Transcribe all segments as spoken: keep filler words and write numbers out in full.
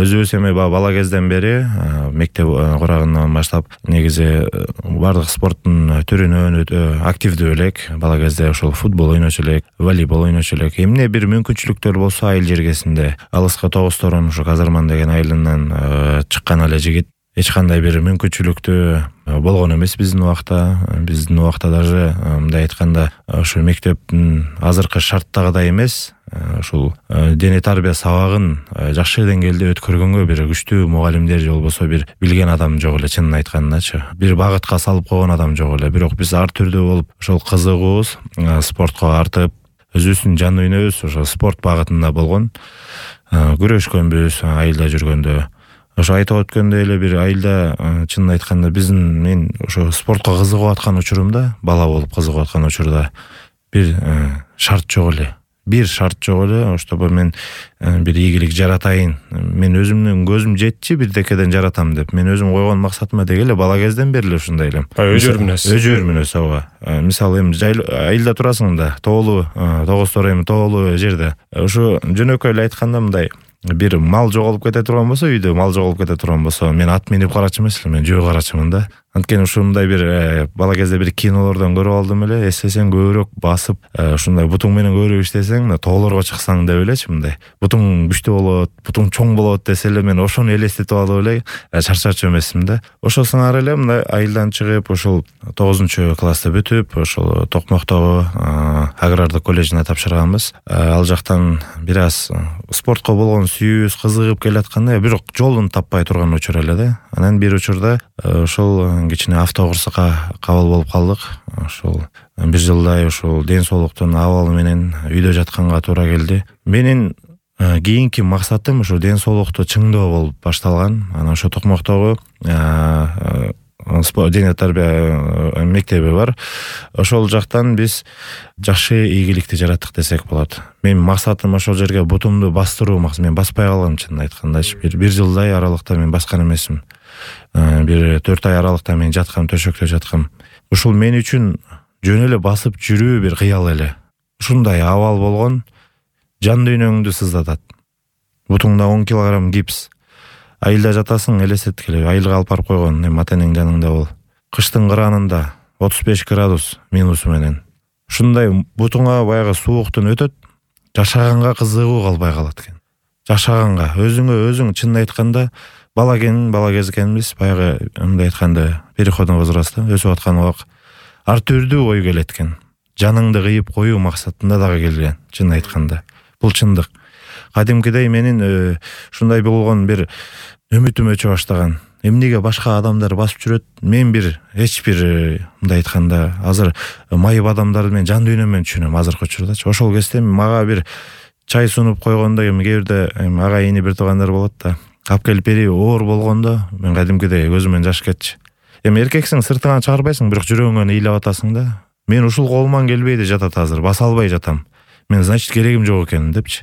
өзүбүз эми бала кезден бери мектеп курагынан баштап негизи бардык спорттун түрүнөн активдүү элек. Бала кезде ошол футбол ойночу элек, волейбол ойночу элек. Эмне бир мүмкүнчүлүктөр болсо айыл жергесинде алыска тогузторон ушу Казарман деген айылынан чыккан эле жигит. Эч кандай бир мүмкүнчүлүктүү болгон эмес биздин убакта. Биздин убакта даже мындай айтканда ошо мектептин азыркы шарттагыдай эмес. Ушул дене тарбия сабагын жакшы деңгээлде өткөргөнгө бир күчтүү мугалимдер же болбосо бир билген адам жок эле, чынын айткандачы. Бир багытка салып койгон адам жок эле. Бирок биз ар түрдүү болуп ошол кызыгуубуз спортко артып, өзүбүздүн жан дүйнөбүз ошо спорт багытында болгон. Күрөшкөнбүз айылда жүргөндө. Ошо айтып өткөндөй эле бир айылда чынын айтканда биздин мен ошо спортко кызыгып аткан учурумда, бала болуп кызыгып аткан учурда бир шарт жок эле. Бир шарт жок эле, чтобы мен бир ийгилик жаратайын. Мен өзүмдүн көзүм жетчи бирдекеден жаратам деп. Мен өзүм койгон максатыма деги эле бала кезден бери эле ушундай элем. Өжөр мүнөз. Өжөр мүнөз ооба. Мисалы эми айылда турасың да, тоолуу, тогузтор эми тоолуу жерде. Ошо жөнөкөй эле айтканда мындай бир мал жоголуп кете турган болсо, үйдө мал жоголуп кете турган болсо, мен ат минип карачу эмес эле, мен жөө карачумун да. Анткени ушундай бир бала кезде бир кинолордон көрүп алдым эле, эстесең көбүрөөк басып, ушундай бутуң менен көбүрөөк иштесең, тоолорго чыксаң деп элечи мындай. Бутуң күчтүү болот, бутуң чоң болот десе эле мен ошону элестетип алып эле чарчачу эмесмин да. Ошол сыңар эле мындай айылдан чыгып, ошол тогузунчу классты бүтүп, ошол Токмоктогу агрардык колледжине тапшырганбыз. Ал жактан бир аз спортко болгон сүйүүбүз кызыгып келатканда, бирок жолун таппай турган учур эле да. Анан бир учурда ошол кичине автокурсукка кабыл болуп калдык. Ошол бир жылдай ошол ден соолуктун абалы менен үйдө жатканга туура келди. Менин кийинки максатым ошо ден соолукту чыңдоо болуп башталган. Анан ошо Токмоктогу дене тарбия мектеби бар. Ошол жактан биз жакшы ийгиликти жараттык десек болот. Менин максатым ошол жерге бутумду бастыруу максат. Мен баспай калгам чынын айткандачы. Бир бир жылдай аралыкта мен баскан эмесмин. Бир төрт ай аралыкта мен жаткам, төшөктө жаткам. Ушул мен үчүн жөн эле басып жүрүү бир кыял эле. Ушундай абал болгон, жан дүйнөңдү сыздатат. Бутуңда он килограмм гипс. Айылда жатасың, элестеткиле, айылга алып барып койгон, эми ата энең жаныңда бол. Кыштын кыранында отуз беш градус минусу менен. Ушундай бутуңа баягы сууктун өтөт, жашаганга кызыгуу калбай калат экен. Жашаганга өзүңө өзүң чынын айтканда бала экен, бала кез экенбиз, баягы мындай айтканда переходный возрастта өсүп аткан убак ар түрдүү ой келет экен. Жаныңды кыйып коюу максатында дагы келген, чынын айтканда. Бул чындык. Кадимкидей менин ушундай болгон бир үмүтүм өчө баштаган. Эмнеге башка адамдар басып жүрөт? Мен бир эч бир мындай айтканда азыр майып адамдарды мен жан дүйнөмөн түшүнөм азыркы учурдачы. Ошол кезде мага бир чай сунуп койгондо эми кээ бирде ага ини бир туугандар болот да. Алып келип бери оор болгондо мен кадимкидей көзүмөн жаш кетчи. Эми эркексиң, сыртыңан чыгарбайсың, бирок жүрөгүңөн ыйлап атасың да. Мен ушул колуман келбейди жатат азыр, баса албай жатам. Мен значит керегим жок экен депчи.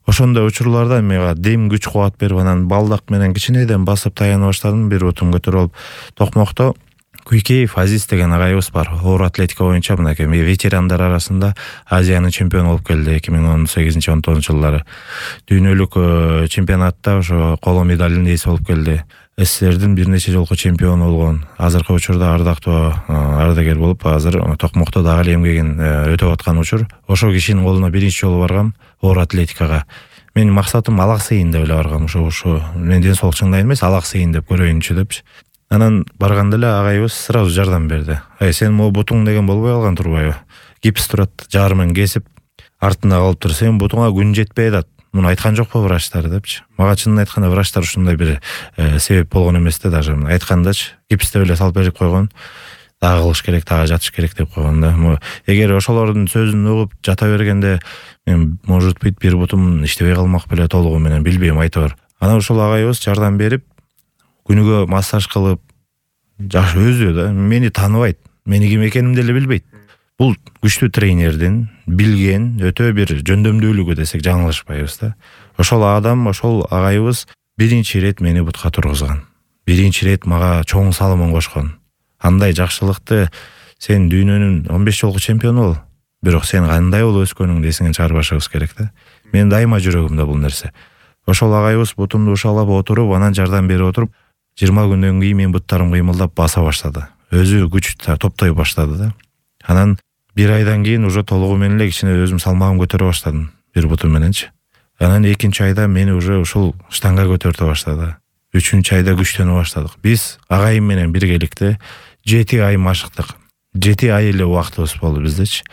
Ошондой учурларда мага дем күч кубат берип, анан балдак менен кичинеден басып таяна баштадым. Бир бутум көтөрүп алып Токмокто Куйкеев Азиз деген агайыбыз бар. Оор атлетика боюнча мынакей ветерандар арасында Азиянын чемпиону болуп келди эки миң он сегизинчи он тогузунчу жылдары. Дүйнөлүк чемпионатта ошо коло медалдын ээси болуп келди. СССРдин бир нече жолку чемпиону болгон. Азыркы учурда ардактуу ардагер болуп, азыр Токмокто дагы эле эмгегин өтөп аткан учур. Ошол кишинин колуна биринчи жолу баргам оор атлетикага. Менин максатым алаксыйын деп эле баргам. Ошо ошо мен ден соолук чыңдайын эмес, алаксыйын деп көрөйүнчү депчи. Анан барганда эле агайыбыз сразу жардам берди. Ай, сен могу бутуң деген болбой калган турбайбы? Гипс турат, жарымын кесип, артында калып тур. Сен бутуңа күн жетпей атат. Муну айткан жокпу врачтар депчи. Мага чынын айтканда врачтар ушундай бир себеп болгон эмес да, даже айткандачы. Гипсти эле салып берип койгон. Дагы кылыш керек, дагы жатыш керек деп койгон да. Эгер ошолордун сөзүн угуп жата бергенде мен может быть бир бутум иштебей калмак беле толугу менен, билбейм, айтор. Анан ошол агайыбыз жардам берип, күнүгө массаж кылып, жакшы өзү да мени тааныбайт, мени ким экенимди эле билбейт. Бул күчтүү тренердин билген өтө бир жөндөмдүүлүгү десек жаңылышпайбыз да. Ошол адам, ошол агайыбыз биринчи ирет мени бутка тургузган. Биринчи ирет мага чоң салымын кошкон. Андай жакшылыкты сен дүйнөнүн он беш жолку чемпиону бол, бирок сен кандай болуп өскөнүңдү эсиңен чыгарбашыбыз керек да. Мен дайыма жүрөгүмдө бул нерсе. Ошол агайыбыз бутумду ушалап отуруп, анан жардам берип отуруп, жыйырма күндөн кийин менин буттарым кыймылдап баса баштады. Өзү күч топтой баштады да. Анан бир айдан кийин уже толугу менен эле кичине өзүм салмагым көтөрө баштадым, бир бутум мененчи. Анан экинчи айда мени уже ушул штанга көтөртө баштады. Үчүнчү айда күчтөнө баштадык. Биз агайым менен биргеликте жети ай машыктык. жети ай эле убактыбыз болду биздечи.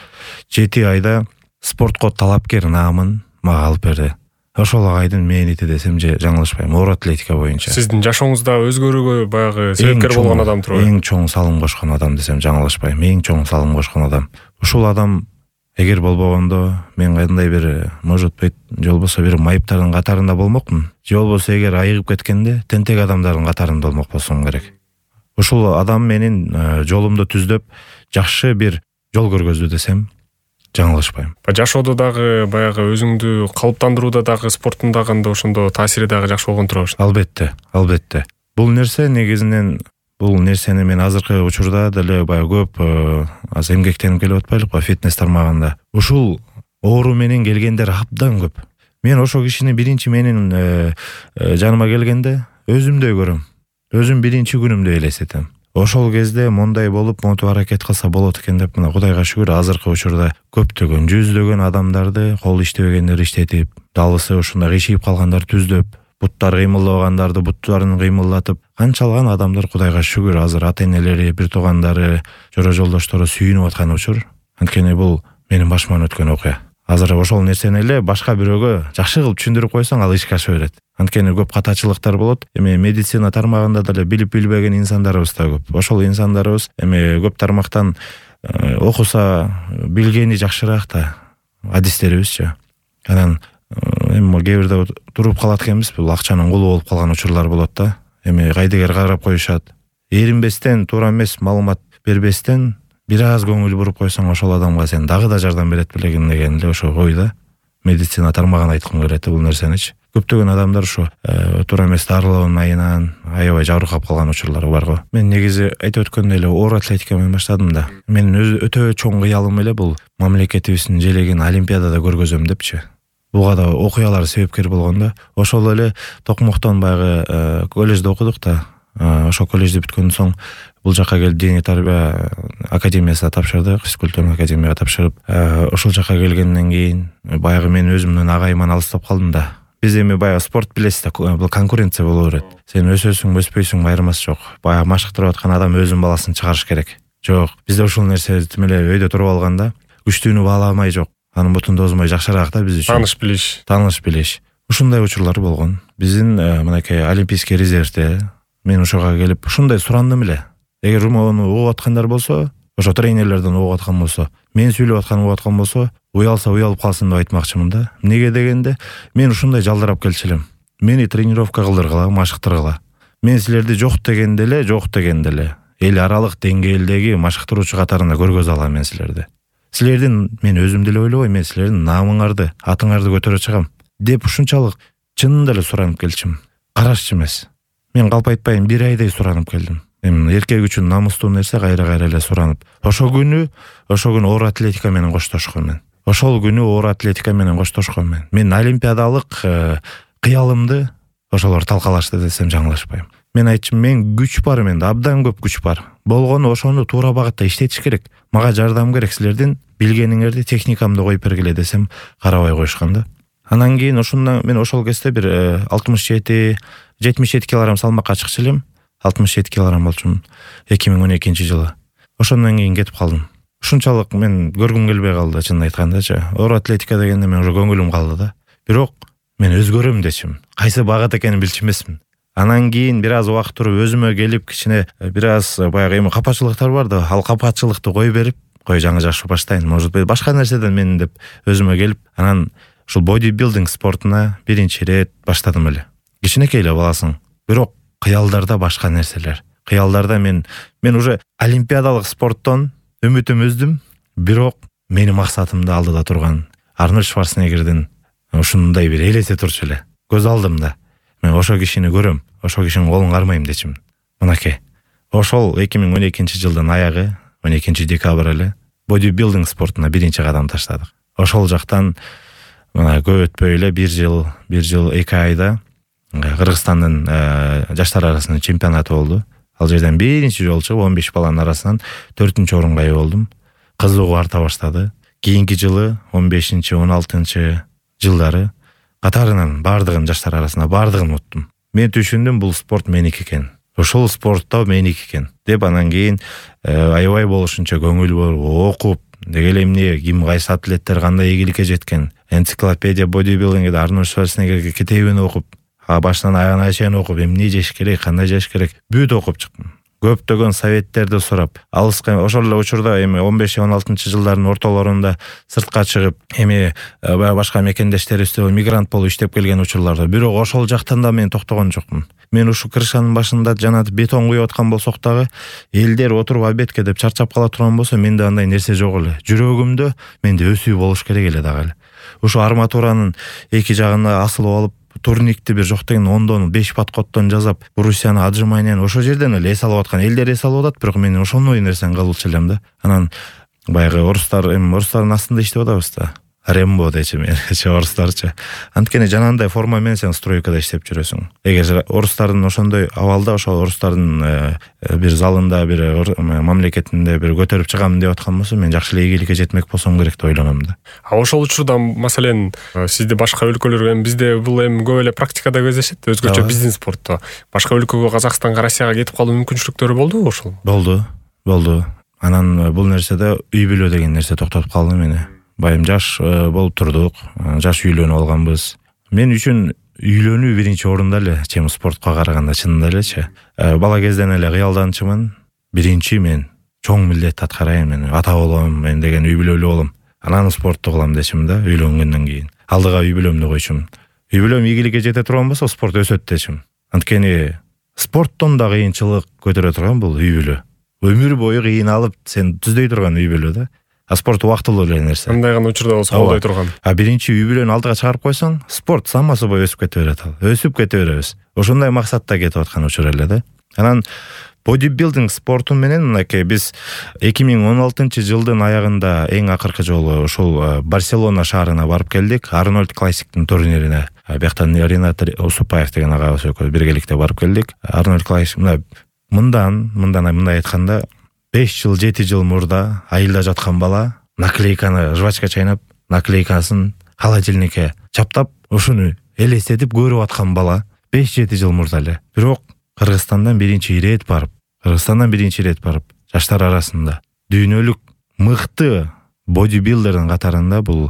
жети айда спортко талапкер наамын мага алып берди. Ошол агайдын мээнити десем же жаңылышпайм, оор атлетика боюнча. Сиздин жашооңузда өзгөрүүгө баягы себепкер болгон адам турбайбы? Эң чоң салым кошкон адам десем жаңылышпайм. Эң чоң салым кошкон адам. Ушул адам эгер болбогондо мен кандай бир, может быть, же болбосо бир майыптардын катарында болмокмун. Же болбосо эгер айыгып кеткенде тентек адамдардын катарында болмок болсом керек. Ушул адам менин жолумду түздөп, жакшы бир жол көргөздү десем жаңылышпайм. Жашоодо дагы баягы өзүңдү калыптандырууда дагы спорттун дагы ошондо таасири дагы жакшы болгон турабы? Албетте, албетте. Бул нерсе негизинен бул нерсени мен азыркы учурда деле баягы көп аз эмгектенип келип атпайлыкпы фитнес тармагында. Ушул оору менен келгендер абдан көп. Мен ошол кишини биринчи менин жаныма келгенде өзүмдөй көрөм. Өзүм биринчи күнүмдү элестетем. Ошол кезде мондай болуп, монтип аракет кылса болот экен деп, мына Кудайга шүгүр, азыркы учурда көптөгөн, жүздөгөн адамдарды кол иштебегендер иштетип, далысы ушундай кыйшыйып калгандар түздөп, буттар кыймылдабагандарды буттарын кыймылдатып, канчалган адамдар Кудайга шүгүр азыр ата-энелери, бир туугандары, жора жолдоштору сүйүнүп аткан учур. Анткени бул менин башыман өткөн окуя. Азыр ошол нерсени эле башка бирөөгө жакшы кылып түшүндүрүп койсоң, ал ишке аша берет. Анткени көп катачылыктар болот. Эми медицина тармагында деле билип билбеген инсандарыбыз да көп. Ошол инсандарыбыз эми көп тармактан окуса билгени жакшыраак да адистерибизчи. Анан эми кээ бирде туруп калат экенбиз, бул акчанын кулу болуп калган учурлар болот да. Эми кайдыгер карап коюшат. Эринбестен, туура эмес маалымат бербестен бир аз көңүл буруп койсоң, ошол адамга сен дагы да жардам берет белегин деген эле ошо ой да. Медицина тармагын айткым келет бул нерсеничи. Көптөгөн адамдар ушу туура эмес дарылоонун айынан аябай жабыркап калган учурлар бар го. Мен негизи айтып өткөндөй эле оор атлетика менен баштадым да. Менин өтө чоң кыялым эле бул мамлекетибиздин желегин олимпиадада көргөзөм депчи. Буга да окуялар себепкер болгон да. Ошол эле Токмоктон баягы коллежде окудук да. Ошол коллежди бүткөндөн соң бул жака келип дене тарбия академиясына тапшырдык, физкультурный академияга тапшырып, ошол жака келгенден кийин баягы мен өзүмдүн агайыман алыстап калдым да. Биз эми баягы спорт билесиз да, бул конкуренция боло берет. Сен өсөсүң, өспөйсүң айырмасы жок. Баягы машыктырып аткан адам өзүнүн баласын чыгарыш керек. Жок, бизде ушул нерсе тим эле өйдө туруп алганда, күчтүүнү бааламай жок. Анын бутунду озмой жакшыраак да биз үчүн. Тааныш билиш. Тааныш билиш. Ушундай учурлар болгон. Биздин мынакей олимпийский резервде мен ошого келип ушундай сурандым эле. Эгер мону угуп аткандар болсо, ошо тренерлерден угуп аткан болсо, мен сүйлөп аткан угуп аткан болсо, уялса уялып калсын деп айтмакчымын да. Эмнеге дегенде, мен ушундай жалдырап келчү элем. Мени тренировка кылдыргыла, машыктыргыла. Мен силерди жок дегенде эле, жок дегенде эле эл аралык деңгээлдеги машыктыруучу катарында көргөзө алам мен силерди. Силердин мен өзүм деле ойлобой, мен силердин наамыңарды, атыңарды көтөрө чыгам деп ушунчалык чынында эле суранып келчим. Карашчы эмес. Мен калп айтпайм, бир айдай суранып келдим. Эми эркек үчүн намустуу нерсе кайра-кайра эле суранып. Ошол күнү, ошол күнү оор атлетика менен коштошком мен. Ошол күнү оор атлетика менен коштошком мен. Мен олимпиадалык кыялымды ошолор талкалашты десем жаңылышпайм. Мен айтчым, мен күч бар, менде абдан көп күч бар. Болгону ошону туура багытта иштетиш керек. Мага жардам керек, силердин билгениңерди, техникамды коюп бергиле десем, карабай коюшкан да. Анан кийин ошондон мен ошол кезде бир алтымыш жети, жетимиш жети килограмм салмакка чыкчу элем. алтымыш жети килограмм болчумун эки миң он экинчи жылы. Ошондон кийин кетип калдым. Ушунчалык мен көргүм келбей калды, чынын айткандачы. Оор атлетика дегенде мен уже көңүлүм калды да. Бирок мен өзгөрөм дечим. Кайсы багыт экенин билчү эмесмин. Анан кийин бир аз убакыт туруп өзүмө келип, кичине бир аз баягы эми капачылыктар бар да, ал капачылыкты кой берип, кой жаңы жакшы баштайын, может быть башка нерседен мен деп өзүмө келип, анан ушул бодибилдинг спортуна биринчи ирет баштадым эле. Кичинекей эле баласың. Бирок кыялдарда башка нерселер. Кыялдарда мен мен уже олимпиадалык спорттон үмүтүм үздүм, бирок менин максатымды алдыда турган Арнольд Шварценеггердин ушундай бир элесе турчу эле. Көз алдымда. Мен ошол кишини көрөм, ошол кишинин колун кармайм дечим. Мынакей. Ошол эки миң он экинчи жылдын аягы, он экинчи декабрь эле бодибилдинг спортуна биринчи кадам таштадык. Ошол жактан мына көп өтпөй эле бир жыл бир жыл эки айда Кыргызстандын жаштар арасынын чемпионаты болду. Ал жерден биринчи жолу чыгып он беш баланын арасынан төртүнчү орунга ээ болдум. Кызыгуу арта баштады. Кийинки жылы он бешинчи он алтынчы жылдары катарынан баардыгын жаштар арасында баардыгын уттум. Мен түшүндүм, бул спорт меники экен. Ошол спортто меники экен деп, анан кийин аябай болушунча көңүл буруп окуп, деги эле эмне ким кайсы атлеттер кандай ийгиликке жеткен, энциклопедия бодибилдингде Арнольд Шварценеггерге китебин окуп, башынан аягына чейин окуп, эмне жеш керек, кандай жеш керек, бүт окуп чыктым. Көптөгөн советтерди сурап, алыска ошол эле учурда эми он беш он алтынчы жылдардын ортолорунда сыртка чыгып, эми баягы башка мекендештерибизде мигрант болуп иштеп келген учурларда, бирок ошол жактан да мен токтогон жокмун. Мен ушу крышанын башында жана бетон куюп аткан болсок дагы, элдер отуруп албетке деп чарчап кала турган болсо, менде андай нерсе жок эле. Жүрөгүмдө менде өсүү болуш керек эле дагы эле. Ушу арматуранын эки жагына асылып алып, турникти бир жок деген ондон беш подходтон жасап, брусьяны отжиманиянын ошол жерден эле эс алып аткан, элдер эс алып атат, бирок мен ошондой нерсени кылчу элем да. Анан баягы орустар, эми орустардын астында иштеп атабыз да. Рембо дечи менчи орустарчы. Анткени жанагындай форма менен сен стройкада иштеп жүрөсүң. Эгер орустардын ошондой абалда, ошол орустардын бир залында, бир мамлекетинде бир көтөрүп чыгам деп аткан болсо, мен жакшы эле ийгиликке жетмек болсом керек деп ойлоном да. А ошол учурда маселен сизде башка өлкөлөр, эми бизде бул эми көп эле практикада кездешет, өзгөчө биздин спортто. Башка өлкөгө, Казакстанга, Россияга кетип калуу мүмкүнчүлүктөрү болдубу ошол? Болду, болду. Анан бул нерседе үй бүлө деген нерсе токтотуп калды мени. Байым жаш болуп турдук, жаш үйлөнүп алганбыз. Мен үчүн үйлөнүү биринчи орунда эле, чем спортко караганда, чынында элечи. Бала кезден эле кыялданчумун. Биринчи мен чоң милдет аткарайын, мен ата болом, мен деген үй бүлөлүү болом. Анан спортту кылам дечим да, үйлөнгөндөн кийин. Алдыга үй бүлөмдү койчум. Үй бүлөм ийгиликке жете турган болсо, спорт өсөт дечим. Анткени спорттон да кыйынчылык көтөрө турган бул үй бүлө. Өмүр бою кыйналып сен түздөй турган үй бүлө да. А спорт убактылуу эле нерсе. Кандай гана учурда болсо колдой турган. А биринчи үй бүлөнү алдыга чыгарып койсоң, спорт сама собой өсүп кете берет ал. Өсүп кете беребиз. Ошондой максатта кетип аткан учур эле да. Анан бодибилдинг спорту менен мынакей биз эки миң он алтынчы жылдын аягында эң акыркы жолу ошол Барселона шаарына барып келдик, Арнольд Классиктин турнирине. Бияктан Ринат Усупаев деген агабыз экөөбүз биргеликте барып келдик. Арнольд Классик мындан, мындан мындай айтканда беш жыл, жети жыл мурда айылда жаткан бала наклейканы жвачка чайнап, наклейкасын холодильникке чаптап, ушуну элестетип көрүп аткан бала беш жети жыл мурда эле. Бирок Кыргызстандан биринчи ирет барып, Кыргызстандан биринчи ирет барып, жаштар арасында дүйнөлүк мыкты бодибилдердин катарында бул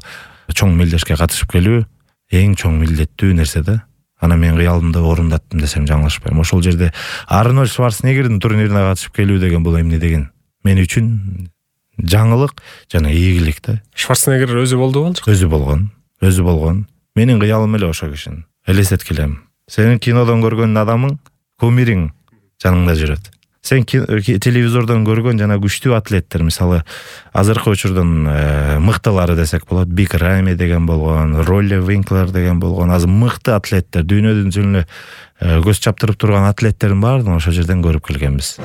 чоң милдешке катышып келүү эң чоң милдеттүү нерсе да. Ана мен кыялымды орундаттым десем жаңылышпайм. Ошол жерде Арнольд Шварценеггердин турнирине катышып келүү деген бул эмне деген мен үчүн жаңылык жана ийгилик да. Шварценеггер өзү болду болчу? Өзү болгон, өзү болгон. Менин кыялым эле ошо кишини элестеткилем. Сенин кинодон көргөн адамың, кумириң жаныңда жүрөт. Сен телевизордон көргөн жана күчтүү атлеттер, мисалы азыркы учурдун мыктылары десек болот, Биг Рами деген болгон, Ролли Винклер деген болгон, азыр мыкты атлеттер, дүйнөдүн жүзүнө көз чаптырып турган атлеттердин баардыгын ошол жерден көрүп келгенбиз.